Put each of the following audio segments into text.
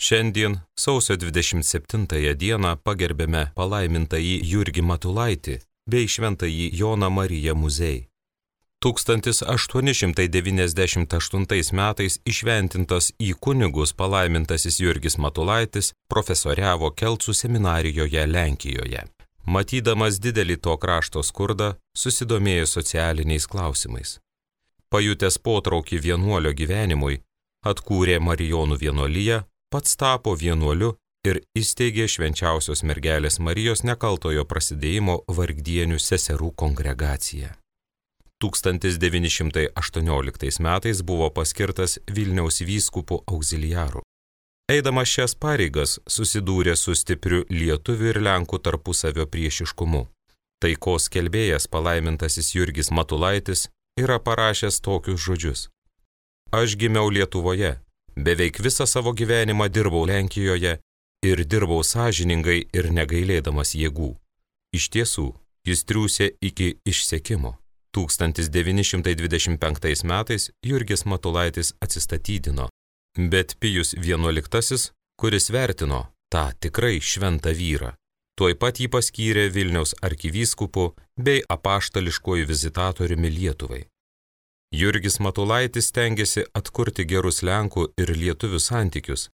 Šiandien, sausio 27 dieną, pagerbėme palaimintąjį Jurgį Matulaitį bei šventąjį Joną Mariją Muzei. 1898 metais įšventintas į kunigus palaimintasis Jurgis Matulaitis profesoriavo Kelcų seminarijoje Lenkijoje. Matydamas didelį to krašto skurdą, susidomėjo socialiniais klausimais. Pajutęs potraukį vienuolio gyvenimui, atkūrė Marijonų vienuoliją, pats tapo vienuoliu ir įsteigė Švenčiausios mergelės Marijos nekaltojo prasidėjimo vargdienių seserų kongregaciją. 1918 metais buvo paskirtas Vilniaus vyskupu auxiliaru. Eidamas šias pareigas susidūrė su stipriu lietuvių ir lenkų tarpusavio priešiškumu. Taikos skelbėjas palaimintasis Jurgis Matulaitis yra parašęs tokius žodžius: Aš gimiau Lietuvoje, beveik visą savo gyvenimą dirbau Lenkijoje ir dirbau sąžiningai ir negailėdamas jėgų. Iš tiesų, jis triūsė iki išsekimo. 1925 metais Jurgis Matulaitis atsistatydino, bet Pijus XI, kuris vertino tą tikrai šventą vyrą, tuoj pat jį paskyrė Vilniaus arkivyskupu bei apaštališkuoju vizitatoriumi Lietuvai. Jurgis Matulaitis stengėsi atkurti gerus Lenkų ir lietuvių santykius,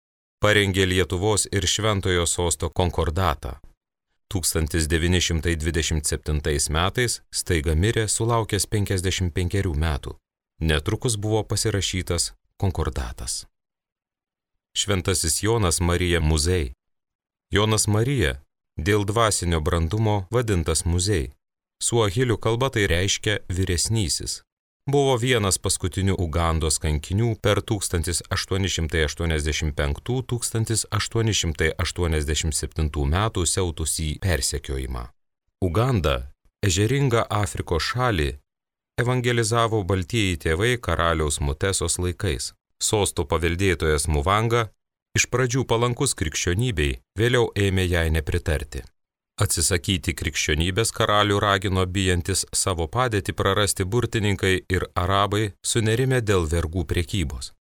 parengė Lietuvos ir Šventojo sosto konkordatą. 1927 metais staiga mirė sulaukęs 55 metų. Netrukus buvo pasirašytas konkordatas. Šventasis Jonas Marija Muzei. Jonas Marija dėl dvasinio brandumo vadintas Muzei. Suahilių kalba tai reiškia vyresnysis. Buvo vienas paskutinių Ugandos kankinių per 1885–1887 metų siautusį persekiojimą. Uganda, ežeringą Afrikos šalį, evangelizavo baltieji tėvai karaliaus Mutesos laikais. Sosto paveldėtojas Muvanga, iš pradžių palankus krikščionybei, vėliau ėmė jai nepritarti. Atsisakyti krikščionybės karalių ragino bijantis savo padėtį prarasti burtininkai ir arabai sunerimę dėl vergų prekybos.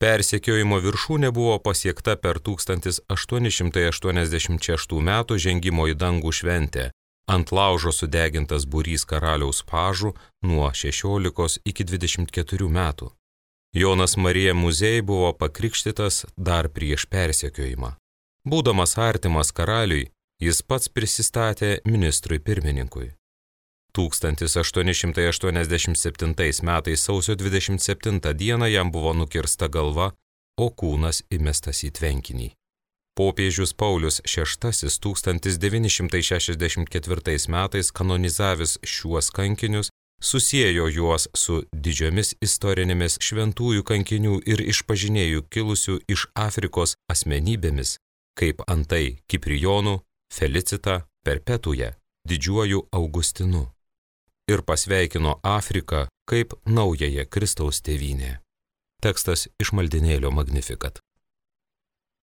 Persekiojimo viršūnė buvo pasiekta per 1886 metų žengimo į dangų šventę. Ant laužo sudegintas būrys karaliaus pažų nuo 16 iki 24 metų. Jonas Marija Muzei buvo pakrikštytas dar prieš persekiojimą. Būdamas artimas karaliui, jis pats prisistatė ministrui pirmininkui. 1887 metais sausio 27 dieną jam buvo nukirsta galva, o kūnas įmestas į tvenkinį. Popiežius Paulius VI 1964 metais kanonizavęs šiuos kankinius, susiejo juos su didžiomis istorinėmis šventųjų kankinių ir išpažinėjų kilusių iš Afrikos asmenybėmis, kaip antai Kiprijonu, Felicita, Perpetuja, didžiuoju Augustinu, ir pasveikino Afriką kaip naująją Kristaus tėvynę. Tekstas iš maldinėlio Magnificat.